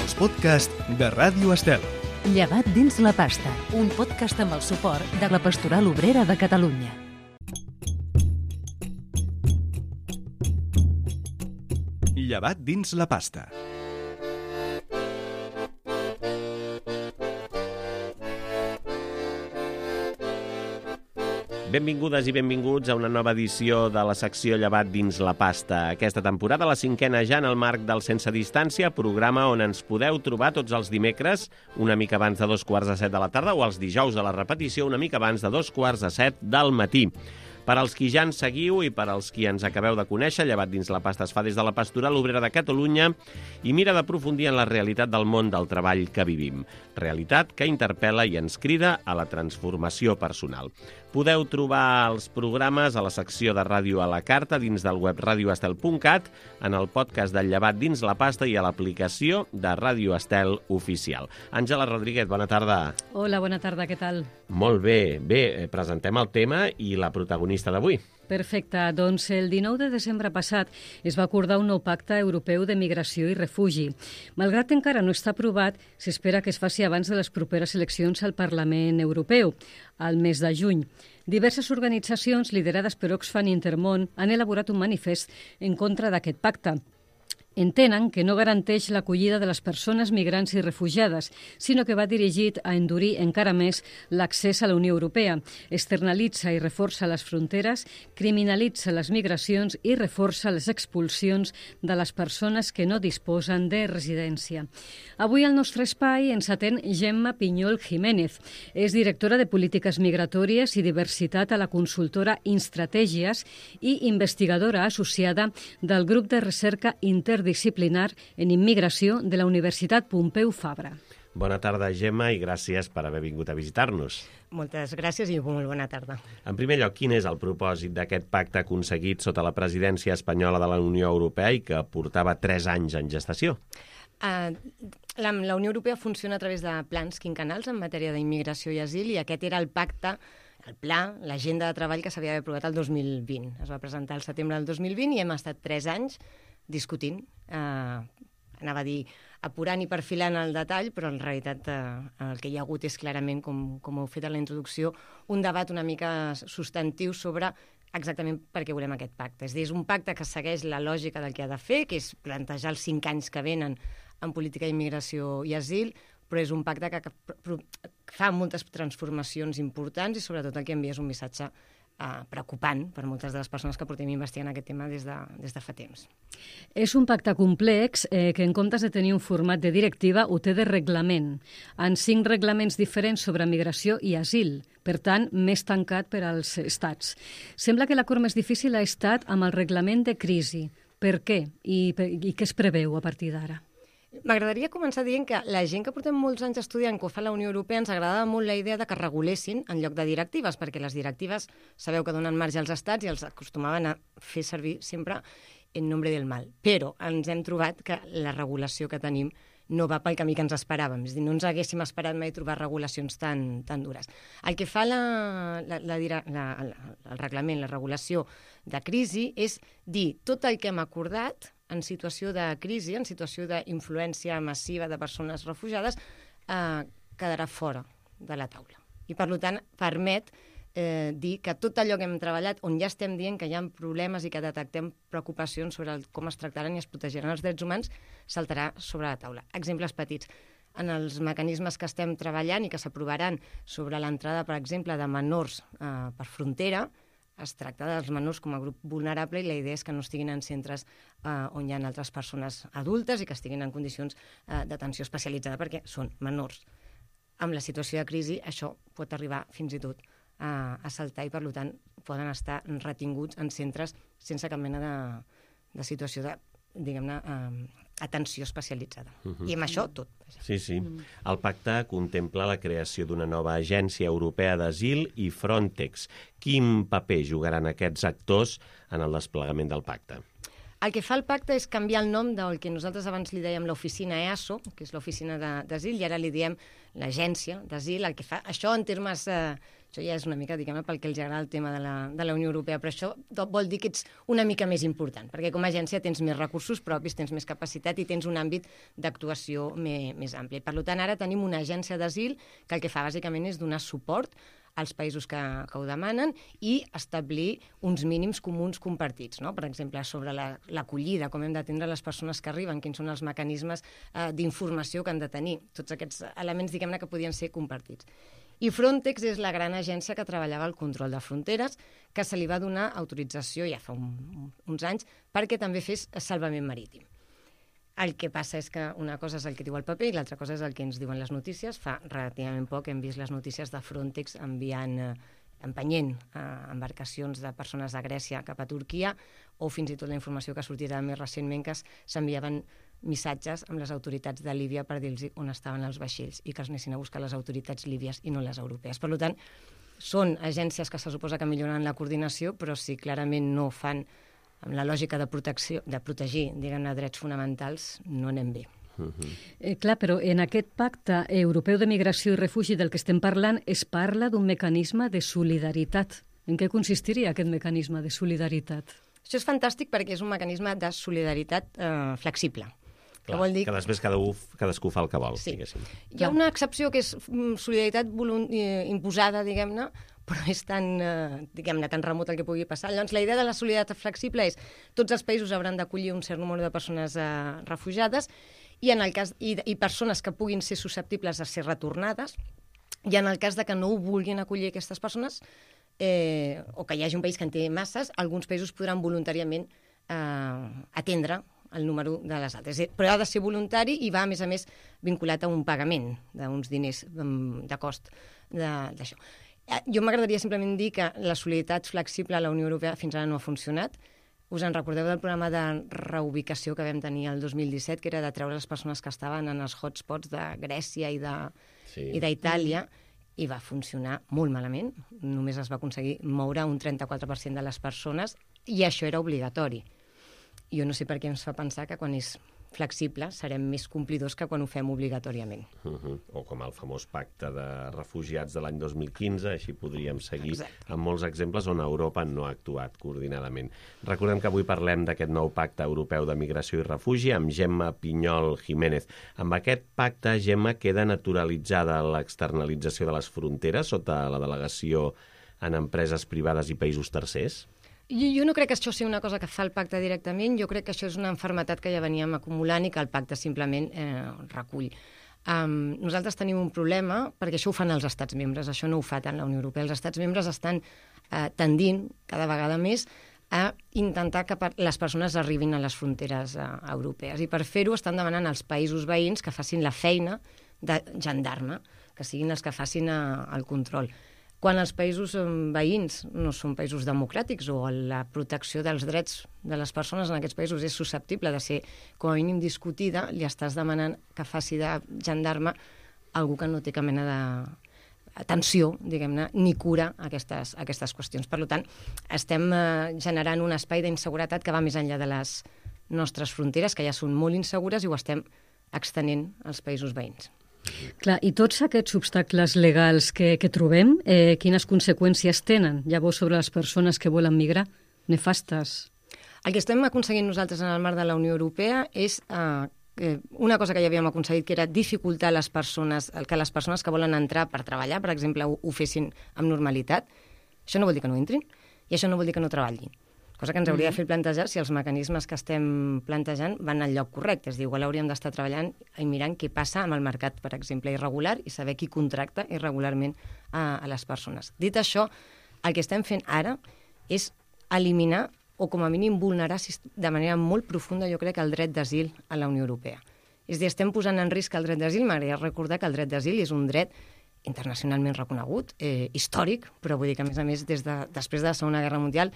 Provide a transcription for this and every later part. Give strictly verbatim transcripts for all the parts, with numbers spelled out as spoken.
els podcasts de Ràdio Estel. Llevat dins la pasta, un podcast amb el suport de la Pastoral Obrera de Catalunya. Llevat dins la pasta. Benvingudes i benvinguts a una nova edició de la secció Llevat dins la pasta. Aquesta temporada, la cinquena ja en el marc del Sense Distància, programa on ens podeu trobar tots els dimecres, una mica abans de dos quarts de set de la tarda, o els dijous de la repetició, una mica abans de dos quarts de set del matí. Per als qui ja ens seguiu i per als qui ens acabeu de conèixer, Llevat dins la pasta es fa des de la Pastoral Obrera de Catalunya i mira d'aprofundir en la realitat del món del treball que vivim. Realitat que interpel·la i ens crida a la transformació personal. Podeu trobar els programes a la secció de Ràdio a la Carta dins del web radio estel punt cat, en el podcast del Llevat dins la pasta i a l'aplicació de Ràdio Estel Oficial. Àngela Rodríguez, bona tarda. Hola, bona tarda, què tal? Molt bé. Bé, presentem el tema i la protagonista d'avui. Perfecte. Doncs el dinou de desembre passat es va acordar un nou pacte europeu de migració i refugi. Malgrat que encara no està aprovat, s'espera que es faci abans de les properes eleccions al Parlament Europeu, al mes de juny. Diverses organitzacions liderades per Oxfam Intermón han elaborat un manifest en contra d'aquest pacte. Entenen que no garanteix l'acollida de les persones migrants i refugiades, sinó que va dirigit a endurir encara més l'accés a la Unió Europea, externalitza i reforça les fronteres, criminalitza les migracions i reforça les expulsions de les persones que no disposen de residència. Avui al nostre espai ens atén Gemma Pinyol Jiménez. És directora de Polítiques Migratòries i Diversitat a la consultora Instratègies i investigadora associada del grup de recerca interdisciplinar en immigració de la Universitat Pompeu Fabra. Bona tarda, Gemma, i gràcies per haver vingut a visitar-nos. Moltes gràcies i molt bona tarda. En primer lloc, quin és el propòsit d'aquest pacte aconseguit sota la presidència espanyola de la Unió Europea i que portava tres anys en gestació? Uh, la, la Unió Europea funciona a través de plans quinquennals en matèria d'immigració i asil, i aquest era el pacte, el pla, l'agenda de treball que s'havia d'haver aprovat el dos mil vint. Es va presentar al setembre del dos mil vint i hem estat tres anys discutint, eh, anava a dir apurant i perfilant el detall, però en realitat eh, el que hi ha hagut és clarament, com, com heu fet en la introducció, un debat una mica substantiu sobre exactament per què volem aquest pacte. És a dir, és un pacte que segueix la lògica del que ha de fer, que és plantejar els cinc anys que venen en política d'immigració i asil, però és un pacte que, que fa moltes transformacions importants i sobretot el que envia és un missatge Uh, preocupant per moltes de les persones que portem investigant aquest tema des de, des de fa temps. És un pacte complex eh, que en comptes de tenir un format de directiva ho té de reglament, en cinc reglaments diferents sobre migració i asil, per tant, més tancat per als estats. Sembla que l'acord més difícil ha estat amb el reglament de crisi. Per què? I, i què es preveu a partir d'ara? M'agradaria començar dient que la gent que portem molts anys estudiant que ho fa la Unió Europea ens agradava molt la idea de que regulessin en lloc de directives, perquè les directives sabeu que donen marge als estats i els acostumaven a fer servir sempre en nombre del mal. Però ens hem trobat que la regulació que tenim no va pel camí que ens esperàvem. És a dir, no ens haguéssim esperat mai trobar regulacions tan, tan dures. El que fa la, la, la, la, la, el reglament, la regulació de crisi, és dir tot el que hem acordat en situació de crisi, en situació d'influència massiva de persones refugiades, eh, quedarà fora de la taula. I, per tant, permet eh, dir que tot allò que hem treballat, on ja estem dient que hi ha problemes i que detectem preocupacions sobre el, com es tractaran i es protegiran els drets humans, saltarà sobre la taula. Exemples petits. En els mecanismes que estem treballant i que s'aprovaran sobre l'entrada, per exemple, de menors eh, per frontera, es tracta dels menors com a grup vulnerable i la idea és que no estiguin en centres eh, on hi ha altres persones adultes i que estiguin en condicions eh, d'atenció especialitzada perquè són menors. Amb la situació de crisi això pot arribar fins i tot eh, a saltar i per tant poden estar retinguts en centres sense cap mena de, de situació de, diguem-ne, eh, atenció especialitzada. Uh-huh. I amb això tot. Sí, sí. El pacte contempla la creació d'una nova agència europea d'asil i Frontex. Quin paper jugaran aquests actors en el desplegament del pacte? El que fa el pacte és canviar el nom del que nosaltres abans li dèiem l'oficina E A S O, que és l'oficina d'asil, i ara li diem l'agència d'asil. El que fa, això en termes... Eh, això ja és una mica, diguem-ne, pel que els agrada el tema de la, de la Unió Europea, però això vol dir que ets una mica més important, perquè com a agència tens més recursos propis, tens més capacitat i tens un àmbit d'actuació més, més ampli. Per tant, ara tenim una agència d'asil que el que fa bàsicament és donar suport als països que, que ho demanen i establir uns mínims comuns compartits, no? Per exemple, sobre l'acollida, la, com hem d'atendre les persones que arriben, quins són els mecanismes eh, d'informació que han de tenir, tots aquests elements, diguem-ne, que podien ser compartits. I Frontex és la gran agència que treballava el control de fronteres, que se li va donar autorització ja fa un, uns anys perquè també fes salvament marítim. El que passa és que una cosa és el que diu el paper i l'altra cosa és el que ens diuen les notícies. Fa relativament poc hem vist les notícies de Frontex enviant, eh, empenyent eh, embarcacions de persones de Grècia cap a Turquia, o fins i tot la informació que sortirà més recentment que s'enviaven missatges amb les autoritats de Líbia per dir-los on estaven els vaixells i que els anessin a buscar les autoritats líbies i no les europees. Per tant, són agències que se suposa que milloren la coordinació, però si clarament no fan amb la lògica de protecció, de protegir, diguem-ne, drets fonamentals, no anem bé. Uh-huh. Eh, clar, però en aquest pacte europeu de migració i refugi del que estem parlant es parla d'un mecanisme de solidaritat. En què consistiria aquest mecanisme de solidaritat? Això és fantàstic perquè és un mecanisme de solidaritat eh, flexible. Clar, que vol dir que després cada u, cadascú fa el que vol, sí. diguéssim. Hi ha una excepció que és solidaritat imposada, diguem-ne, però és tan, eh, diguem-ne, tan remot el que pugui passar. Llavors, la idea de la solidaritat flexible és tots els països hauran d'acollir un cert número de persones eh, refugiades i, en el cas, i, i persones que puguin ser susceptibles a ser retornades, i en el cas de que no ho vulguin acollir aquestes persones, eh, o que hi hagi un país que en té masses, alguns països podran voluntàriament eh, atendre el número de les altres. Però ha de ser voluntari i va, a més a més, vinculat a un pagament d'uns diners de cost d'això. Jo m'agradaria simplement dir que la solidaritat flexible a la Unió Europea fins ara no ha funcionat. Us en recordeu del programa de reubicació que vam tenir el dos mil disset, que era de treure les persones que estaven en els hotspots de Grècia i d'Itàlia, sí. I va funcionar molt malament. Només es va aconseguir moure un trenta-quatre per cent de les persones i això era obligatori. Jo no sé per què ens fa pensar que quan és flexible serem més complidors que quan ho fem obligatòriament. Uh-huh. O com el famós pacte de refugiats de l'any dos mil quinze, així podríem seguir. Exacte. Amb molts exemples on Europa no ha actuat coordinadament. Recordem que avui parlem d'aquest nou pacte europeu de migració i refugi amb Gemma Pinyol Jiménez. Amb aquest pacte, Gemma, queda naturalitzada l'externalització de les fronteres sota la delegació en empreses privades i països tercers? Jo, jo no crec que això sigui una cosa que fa el pacte directament, jo crec que això és una malaltia que ja veníem acumulant i que el pacte simplement eh, recull. Um, nosaltres tenim un problema, perquè això ho fan els estats membres, això no ho fa tant la Unió Europea. Els estats membres estan eh, tendint cada vegada més a intentar que les persones arribin a les fronteres eh, europees. I per fer-ho estan demanant als països veïns que facin la feina de gendarme, que siguin els que facin eh, el control. Quan els països veïns no són països democràtics o la protecció dels drets de les persones en aquests països és susceptible de ser com a mínim discutida, li estàs demanant que faci de gendarme algú que no té cap mena d'atenció, diguem-ne, ni cura a aquestes, a aquestes qüestions. Per tant, estem eh, generant un espai d'inseguretat que va més enllà de les nostres fronteres, que ja són molt insegures, i ho estem extenent als països veïns. Clar, i tots aquests obstacles legals que, que trobem, eh, quines conseqüències tenen llavors sobre les persones que volen migrar? Nefastes. El que estem aconseguint nosaltres en el marc de la Unió Europea és eh, una cosa que ja havíem aconseguit, que era dificultar les persones, que les persones que volen entrar per treballar, per exemple, ho, ho fessin amb normalitat. Això no vol dir que no entrin i això no vol dir que no treballin. Cosa que ens hauria de fer plantejar si els mecanismes que estem plantejant van al lloc correcte. És a dir, igual hauríem d'estar treballant i mirant què passa amb el mercat, per exemple, irregular, i saber qui contracta irregularment a, a les persones. Dit això, el que estem fent ara és eliminar o com a mínim vulnerar de manera molt profunda, jo crec, el dret d'asil a la Unió Europea. És a dir, estem posant en risc el dret d'asil. M'agradaria recordar que el dret d'asil és un dret internacionalment reconegut, eh, històric, però vull dir que, a més a més, des de, després de la Segona Guerra Mundial,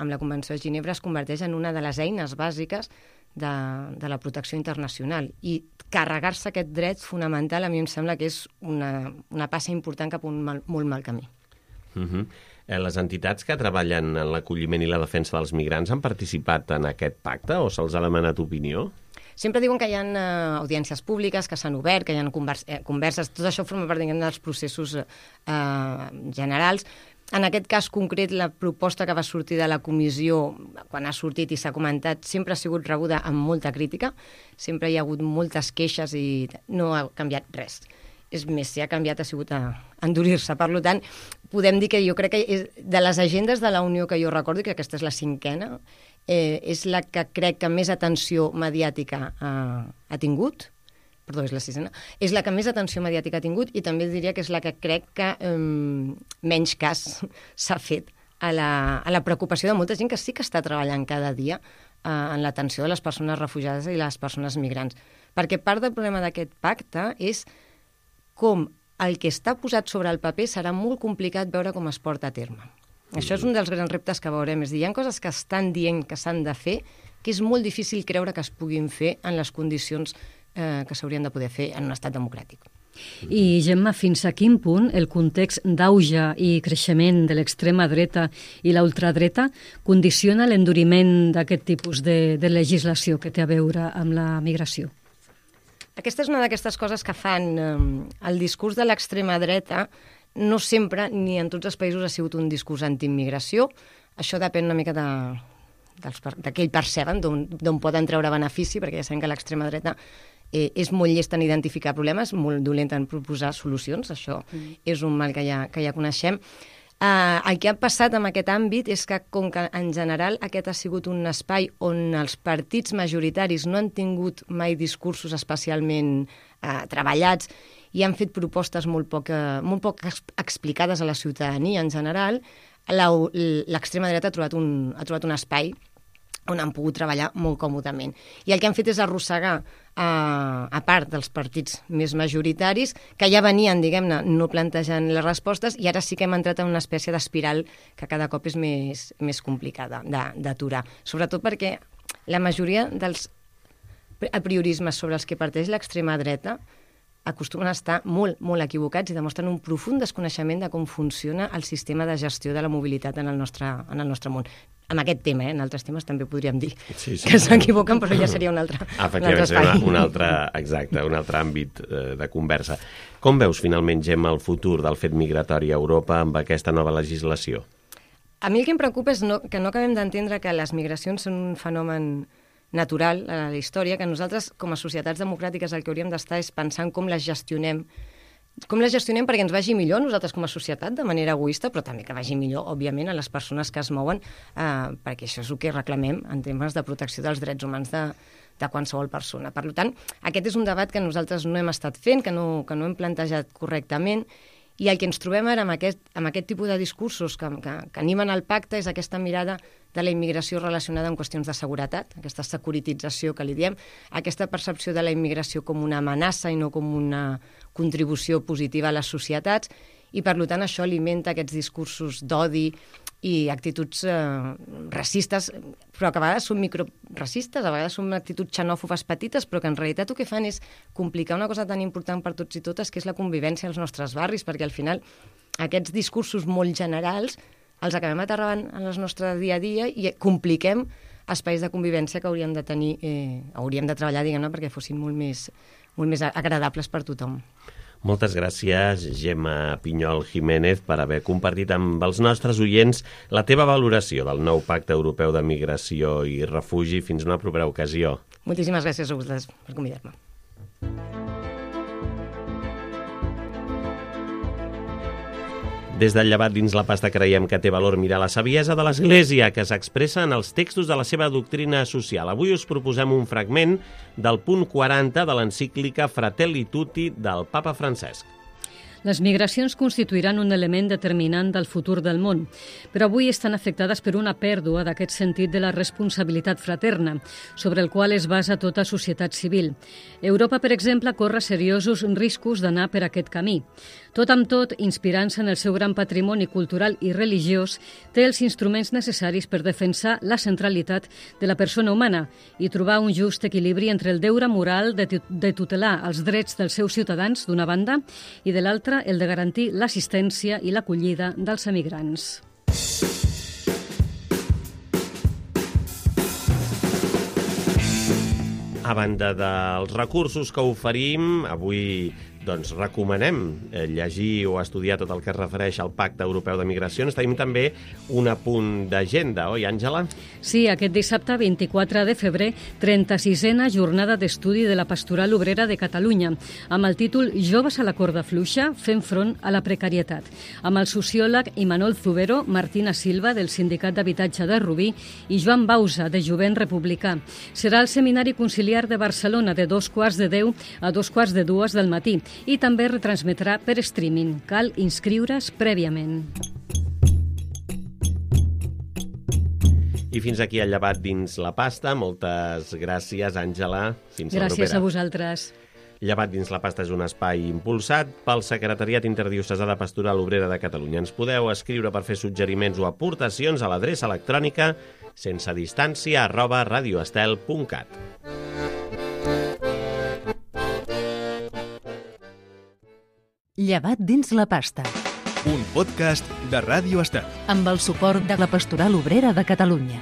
amb la Convenció de Ginebra es converteix en una de les eines bàsiques de, de la protecció internacional. I carregar-se aquest dret fonamental a mi em sembla que és una, una passa important cap a un mal, molt mal camí. Uh-huh. Les entitats que treballen en l'acolliment i la defensa dels migrants han participat en aquest pacte o se'ls ha demanat opinió? Sempre diuen que hi ha uh, audiències públiques, que s'han obert, que hi ha convers eh, converses, tot això forma part dels processos uh, generals. En aquest cas concret, la proposta que va sortir de la comissió, quan ha sortit i s'ha comentat, sempre ha sigut rebuda amb molta crítica, sempre hi ha hagut moltes queixes i no ha canviat res. És més, si ha canviat ha sigut a endurir-se. Per tant, podem dir que jo crec que és, de les agendes de la Unió que jo recordo, que aquesta és la cinquena, eh, és la que crec que més atenció mediàtica ha, ha tingut, perdó, és la sisena, és la que més atenció mediàtica ha tingut i també diria que és la que crec que eh, menys cas s'ha fet a la, a la preocupació de molta gent que sí que està treballant cada dia eh, en l'atenció de les persones refugiades i les persones migrants. Perquè part del problema d'aquest pacte és com el que està posat sobre el paper serà molt complicat veure com es porta a terme. Això és un dels grans reptes que veurem. És dir, hi ha coses que estan dient que s'han de fer que és molt difícil creure que es puguin fer en les condicions eh, que s'haurien de poder fer en un estat democràtic. I, Gemma, fins a quin punt el context d'auge i creixement de l'extrema dreta i la ultradreta condiciona l'enduriment d'aquest tipus de, de legislació que té a veure amb la migració? Aquesta és una d'aquestes coses que fan eh, el discurs de l'extrema dreta. No sempre, ni en tots els països, ha sigut un discurs antiimmigració. Això depèn una mica de, dels, de què ells perceben, d'on poden treure benefici, perquè ja sabem que l'extrema dreta eh, és molt llesta en identificar problemes, molt dolenta en proposar solucions. Això mm. és un mal que ja, que ja coneixem. Uh, el que ha passat en aquest àmbit és que, com que en general aquest ha sigut un espai on els partits majoritaris no han tingut mai discursos especialment uh, treballats i han fet propostes molt poc, uh, molt poc explicades a la ciutadania en general, l'extrema dreta ha trobat, un, ha trobat un espai on han pogut treballar molt còmodament. I el que han fet és arrossegar a, a part dels partits més majoritaris, que ja venien, diguem-ne, no plantejant les respostes, i ara sí que hem entrat en una espècie d'espiral que cada cop és més, més complicada d'aturar. Sobretot perquè la majoria dels apriorismes sobre els que parteix l'extrema dreta acostumen a estar molt, molt equivocats i demostren un profund desconeixement de com funciona el sistema de gestió de la mobilitat en el nostre, en el nostre món. En aquest tema, eh? En altres temes també podríem dir sí, sí, que s'equivoquen, però ja seria un altre, un altre espai. Efectivament, un altre, exacte, un altre àmbit eh, de conversa. Com veus finalment, Gemma, el futur del fet migratori a Europa amb aquesta nova legislació? A mi el que em preocupa és no, que no acabem d'entendre que les migracions són un fenomen natural a la història, que nosaltres, com a societats democràtiques, el que hauríem d'estar és pensant com les gestionem, com les gestionem perquè ens vagi millor nosaltres com a societat, de manera egoista, però també que vagi millor, òbviament, a les persones que es mouen, eh, perquè això és el que reclamem en temes de protecció dels drets humans de, de qualsevol persona. Per tant, aquest és un debat que nosaltres no hem estat fent, que no, que no hem plantejat correctament, i el que ens trobem ara amb aquest, amb aquest tipus de discursos que, que, que animen el pacte és aquesta mirada de la immigració relacionada amb qüestions de seguretat, aquesta securitització que li diem, aquesta percepció de la immigració com una amenaça i no com una contribució positiva a les societats, i per tant això alimenta aquests discursos d'odi i actituds eh, racistes, però que a vegades són microracistes, a vegades són actituds xenòfobes petites, però que en realitat el que fan és complicar una cosa tan important per tots i totes, que és la convivència als nostres barris, perquè al final aquests discursos molt generals els acabem aterrant en el nostre dia a dia i compliquem espais de convivència que hauríem de tenir, eh, hauríem de treballar, diguem-ne, perquè fossin molt més, molt més agradables per tothom. Moltes gràcies, Gemma Pinyol Jiménez, per haver compartit amb els nostres oients la teva valoració del nou Pacte Europeu de Migració i Refugi. Fins una propera ocasió. Moltíssimes gràcies a vosaltres per convidar-me. Des del Llevat dins la pasta creiem que té valor mirar la saviesa de l'Església que s'expressa en els textos de la seva doctrina social. Avui us proposem un fragment del punt quaranta de l'encíclica Fratelli Tutti del Papa Francesc. Les migracions constituiran un element determinant del futur del món, però avui estan afectades per una pèrdua d'aquest sentit de la responsabilitat fraterna, sobre el qual es basa tota societat civil. Europa, per exemple, corre seriosos riscos d'anar per aquest camí. Tot amb tot, inspirant-se en el seu gran patrimoni cultural i religiós, té els instruments necessaris per defensar la centralitat de la persona humana i trobar un just equilibri entre el deure moral de, de tutelar els drets dels seus ciutadans, d'una banda, i de l'altra, el de garantir l'assistència i l'acollida dels emigrants. A banda dels recursos que oferim, avui doncs, recomanem eh, llegir o estudiar tot el que es refereix al Pacte Europeu de Migracions. Tenim també un apunt d'agenda, oi, Àngela? Sí, aquest dissabte vint-i-quatre de febrer, trenta-sisena jornada d'estudi de la Pastoral Obrera de Catalunya, amb el títol Joves a la corda fluixa, fent front a la precarietat, amb el sociòleg Imanol Zubero, Martina Silva, del Sindicat d'Habitatge de Rubí, i Joan Bausa, de Jovent Republicà. Serà el Seminari Conciliar de Barcelona de dos quarts de deu a dos quarts de dues del matí, i també retransmetrà per streaming. Cal inscriure's prèviament. I fins aquí el llevat dins la pasta. Moltes gràcies, Àngela. Fins la propera. Gràcies a vosaltres. Llevat dins la pasta és un espai impulsat pel Secretariat Interdiocesà de Pastoral Obrera de Catalunya. Ens podeu escriure per fer suggeriments o aportacions a l'adreça electrònica sense distància arroba radioestel punt cat. Llevat dins la pasta. Un podcast de Ràdio Estel. Amb el suport de la Pastoral Obrera de Catalunya.